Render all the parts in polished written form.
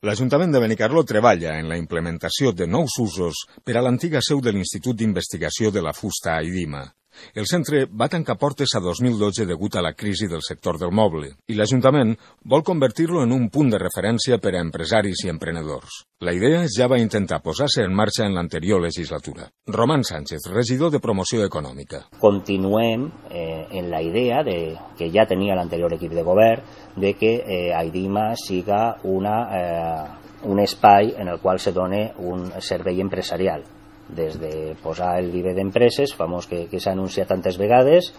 L'Ajuntament de Benicarló treballa en la implementació de nous usos per a l'antiga seu de l'Institut d'Investigació de la Fusta a Idima. El centre va tancar portes a 2012 degut a la crisi del sector del moble i l'Ajuntament vol convertir-lo en un punt de referència per a empresaris i emprenedors. La idea ja va intentar posar-se en marxa en l'anterior legislatura. Román Sánchez, regidor de Promoció Econòmica. Continuem en la idea que ja tenia l'anterior equip de govern de que Aidima siga un espai en el qual se doni un servei empresarial. Des de posar el viver d'empreses, famós que s'ha anunciat tantes vegades,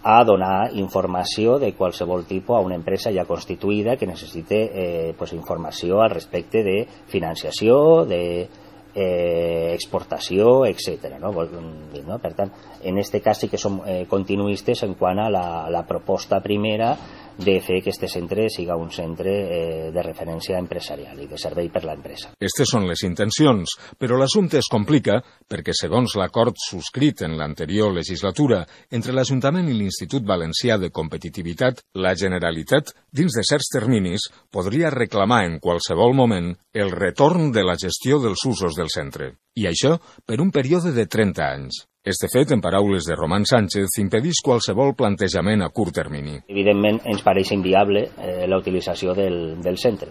a donar informació de qualsevol tipus a una empresa ja constituïda que necessite informació al respecte de financiació, d'exportació, etc. Per tant, en aquest cas sí que som continuistes en quant a la proposta primera de fer que aquest centre siga un centre de referència empresarial i de servei per l'empresa. Aquestes són les intencions, però l'assumpte es complica perquè, segons l'acord subscrit en l'anterior legislatura entre l'Ajuntament i l'Institut Valencià de Competitivitat, la Generalitat, dins de certs terminis, podria reclamar en qualsevol moment el retorn de la gestió dels usos del centre. I això per un període de 30 anys. Este fet, en paraules de Román Sánchez, impedeix qualsevol plantejament a curt termini. Evidentment, ens pareix inviable la utilització del centre.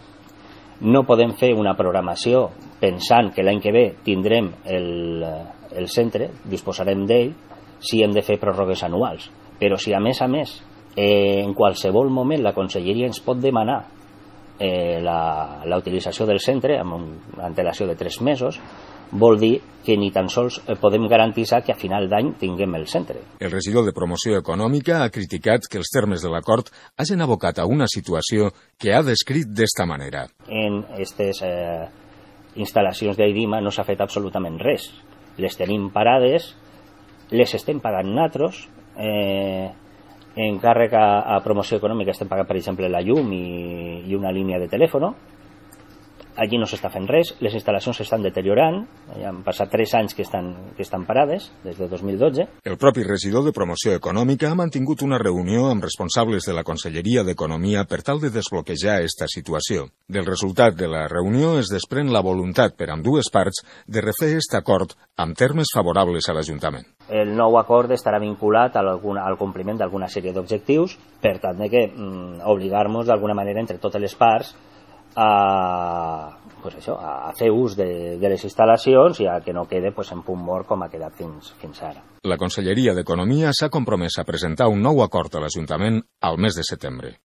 No podem fer una programació pensant que l'any que ve tindrem el centre, disposarem d'ell, si hem de fer pròrrogues anuals. Però si, a més, en qualsevol moment la Conselleria ens pot demanar la utilització del centre amb una antelació de 3 mesos, vol dir que ni tan sols podem garantir que a final d'any tinguem el centre. El regidor de Promoció Econòmica ha criticat que els termes de l'acord hagin abocat a una situació que ha descrit d'esta manera. En aquestes instal·lacions d'Aidima no s'ha fet absolutament res. Les tenim parades, les estem pagant nosaltres, en càrrec a Promoció Econòmica estem pagant, per exemple, la llum i una línia de telèfon. Allí no s'està fent res, les instal·lacions s'estan deteriorant, ja han passat 3 anys que estan parades, des de 2012. El propi regidor de Promoció Econòmica ha mantingut una reunió amb responsables de la Conselleria d'Economia per tal de desbloquejar esta situació. Del resultat de la reunió es desprèn la voluntat per ambdues parts de refer aquest acord amb termes favorables a l'Ajuntament. El nou acord estarà vinculat al compliment d'alguna sèrie d'objectius, per tant que obligar-nos d'alguna manera entre totes les parts a fer ús de les instal·lacions i a que no quede en punt mort com ha quedat fins ara. La Conselleria d'Economia s'ha compromès a presentar un nou acord a l'Ajuntament al mes de setembre.